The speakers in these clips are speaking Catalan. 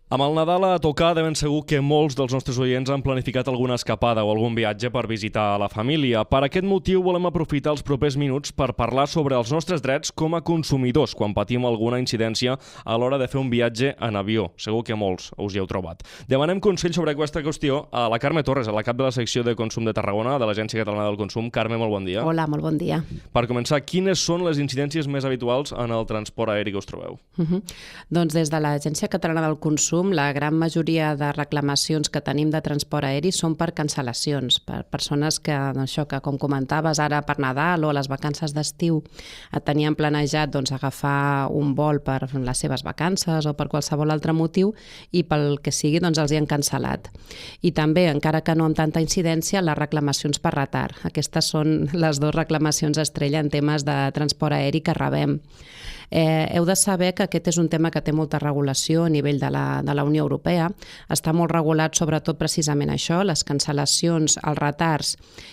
Amb el Nadal a tocar, de ben segur que molts dels nostres oients han planificat alguna escapada o algun viatge per visitar la família. Per aquest motiu volem aprofitar els propers minuts per parlar sobre els nostres drets com a consumidors quan patim alguna incidència a l'hora de fer un viatge en avió. Segur que molts us hi heu trobat. Demanem consell sobre aquesta qüestió a la Carme Torres, a la cap de la secció de Consum de Tarragona, de l'Agència Catalana del Consum. Carme, molt bon dia. Hola, molt bon dia. Per començar, quines són les incidències més habituals en el transport aeri que us trobeu? Doncs des de l'Agència Catalana del Consum, la gran majoria de reclamacions que tenim de transport aeri són per cancel·lacions, per persones que, això que com comentaves ara per Nadal o les vacances d'estiu tenien planejat agafar un vol per les seves vacances o per qualsevol altre motiu i pel que sigui els hi han cancel·lat. I també, encara que no amb tanta incidència, les reclamacions per retard. Aquestes són les dues reclamacions estrella en temes de transport aeri que rebem. Heu de saber que aquest és un tema que té molta regulació a nivell de la Unió Europea. Està molt regulat sobretot precisament això, les cancel·lacions, els retards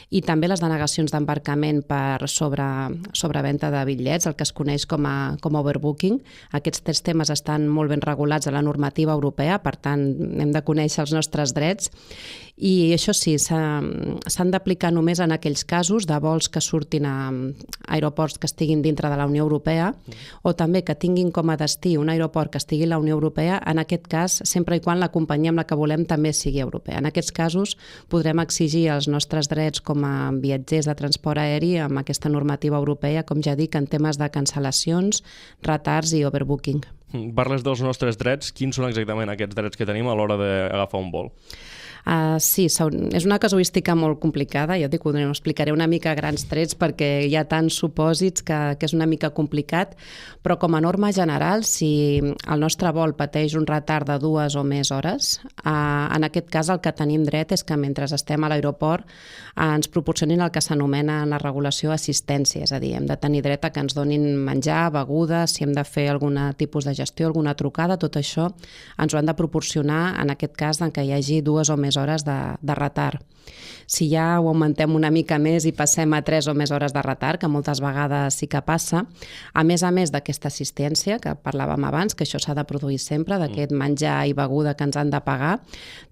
i també les denegacions d'embarcament per sobreventa de bitllets, el que es coneix com a overbooking. Aquests tres temes estan molt ben regulats a la normativa europea, per tant hem de conèixer els nostres drets. I això sí, s'han d'aplicar només en aquells casos de vols que surtin a aeroports que estiguin dintre de la Unió Europea o també que tinguin com a destí un aeroport que estigui a la Unió Europea, en aquest cas, sempre i quan la companyia amb la que volem també sigui europea. En aquests casos podrem exigir els nostres drets com a viatgers de transport aeri amb aquesta normativa europea, com ja dic, en temes de cancel·lacions, retards i overbooking. Parles dels nostres drets. Quins són exactament aquests drets que tenim a l'hora d'agafar un vol? Sí, és una casuística molt complicada, jo dic, ho explicaré una mica a grans trets perquè hi ha tants supòsits que és una mica complicat, però com a norma general, si el nostre vol pateix un retard de 2 o més hores, en aquest cas el que tenim dret és que mentre estem a l'aeroport ens proporcionin el que s'anomena en la regulació assistència, és a dir, hem de tenir dret a que ens donin menjar, begudes, si hem de fer algun tipus de gestió, alguna trucada, tot això ens ho han de proporcionar en aquest cas en què hi hagi 2 o més hores de retard. Si ja ho augmentem una mica més i passem a 3 o més hores de retard, que moltes vegades sí que passa, a més d'aquesta assistència que parlàvem abans, que això s'ha de produir sempre, d'aquest menjar i beguda que ens han de pagar,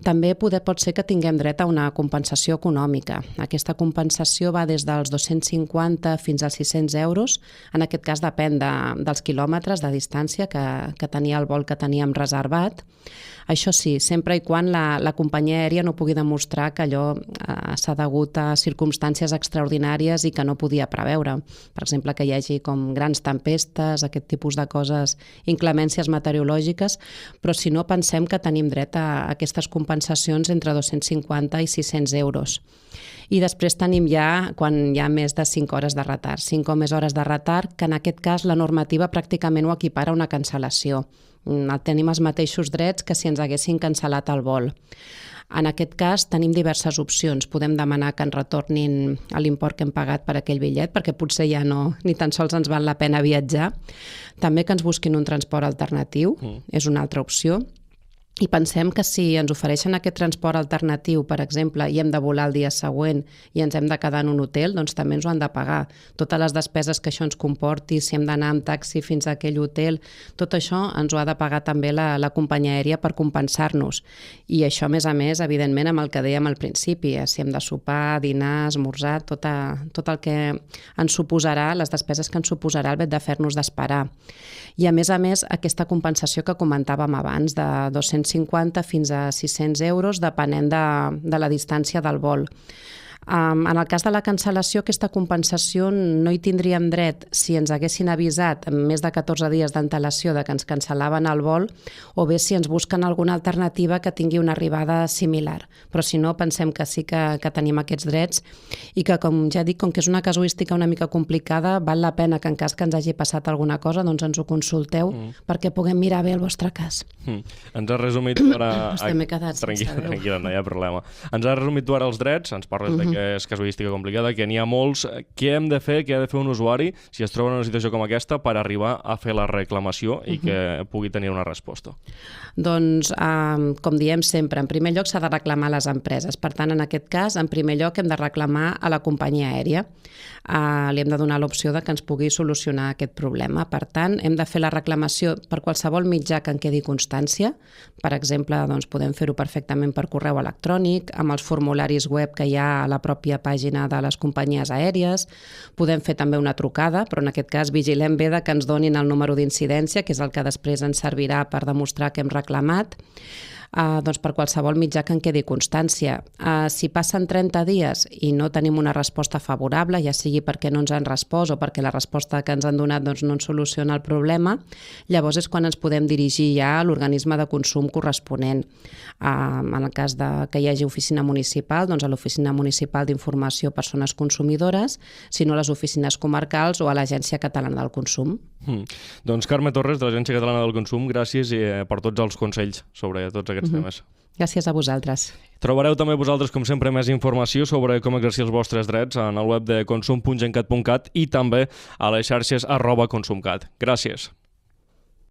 també pot ser que tinguem dret a una compensació econòmica. Aquesta compensació va des dels 250 fins als 600 euros, en aquest cas depèn dels quilòmetres de distància que tenia el vol que teníem reservat. Això sí, sempre i quan la companyia aèria no pugui demostrar que allò s'ha degut a circumstàncies extraordinàries i que no podia preveure. Per exemple, que hi hagi com grans tempestes, aquest tipus de coses, inclemències meteorològiques, però si no pensem que tenim dret a aquestes compensacions entre 250 i 600 euros. I després tenim ja, quan hi ha més de 5 hores de retard, 5 o més hores de retard, que en aquest cas la normativa pràcticament ho equipara a una cancel·lació. Tenim els mateixos drets que si ens haguessin cancel·lat el vol. En aquest cas tenim diverses opcions. Podem demanar que ens retornin l'import que hem pagat per aquell bitllet, perquè potser ja ni tan sols ens val la pena viatjar. També que ens busquin un transport alternatiu, és una altra opció. I pensem que si ens ofereixen aquest transport alternatiu, per exemple, i hem de volar el dia següent i ens hem de quedar en un hotel, doncs també ens ho han de pagar. Totes les despeses que això ens comporti, si hem d'anar amb taxi fins a aquell hotel, tot això ens ho ha de pagar també la companyia aèria per compensar-nos. I això, a més, evidentment, amb el que dèiem al principi, si hem de sopar, dinar, esmorzar, tot el que ens suposarà, les despeses que ens suposarà el fet de fer-nos d'esperar. I, a més, aquesta compensació que comentàvem abans, de 250 fins a 600 euros, depenent de la distància del vol. En el cas de la cancel·lació, aquesta compensació no hi tindríem dret si ens haguessin avisat amb més de 14 dies d'antelació de que ens cancel·laven el vol o bé si ens busquen alguna alternativa que tingui una arribada similar. Però si no, pensem que sí que tenim aquests drets i que, com ja dic, com que és una casuística una mica complicada, val la pena que en cas que ens hagi passat alguna cosa doncs ens ho consulteu perquè puguem mirar bé el vostre cas. Ens has resumit ara... M'he quedat sense veu. Tranquil·la, no hi ha problema. Ens has resumit tu ara els drets, ens parles de que és casuística complicada, que n'hi ha molts. Què hem de fer, què ha de fer un usuari si es troba en una situació com aquesta per arribar a fer la reclamació i que pugui tenir una resposta? Doncs, com diem sempre, en primer lloc s'ha de reclamar a les empreses. Per tant, en aquest cas, en primer lloc hem de reclamar a la companyia aèria. Li hem de donar l'opció de que ens pugui solucionar aquest problema. Per tant, hem de fer la reclamació per qualsevol mitjà que en quedi constància. Per exemple, doncs, podem fer-ho perfectament per correu electrònic, amb els formularis web que hi ha a la pròpia pàgina de les companyies aèries. Podem fer també una trucada, però en aquest cas vigilem bé de que ens donin el número d'incidència, que és el que després ens servirà per demostrar que hem reclamat. Doncs per qualsevol mitjà que en quedi constància. Si passen 30 dies i no tenim una resposta favorable, ja sigui perquè no ens han respost o perquè la resposta que ens han donat doncs, no ens soluciona el problema, llavors és quan ens podem dirigir ja a l'organisme de consum corresponent. En el cas que hi hagi oficina municipal, doncs a l'Oficina Municipal d'Informació a Persones Consumidores, si no a les oficines comarcals o a l'Agència Catalana del Consum. Doncs Carme Torres, de l'Agència Catalana del Consum, gràcies per tots els consells sobre tots aquests temes. Gràcies a vosaltres. Trobareu també vosaltres, com sempre, més informació sobre com exercir els vostres drets en el web de consum.gencat.cat i també a les xarxes @consumcat. Gràcies.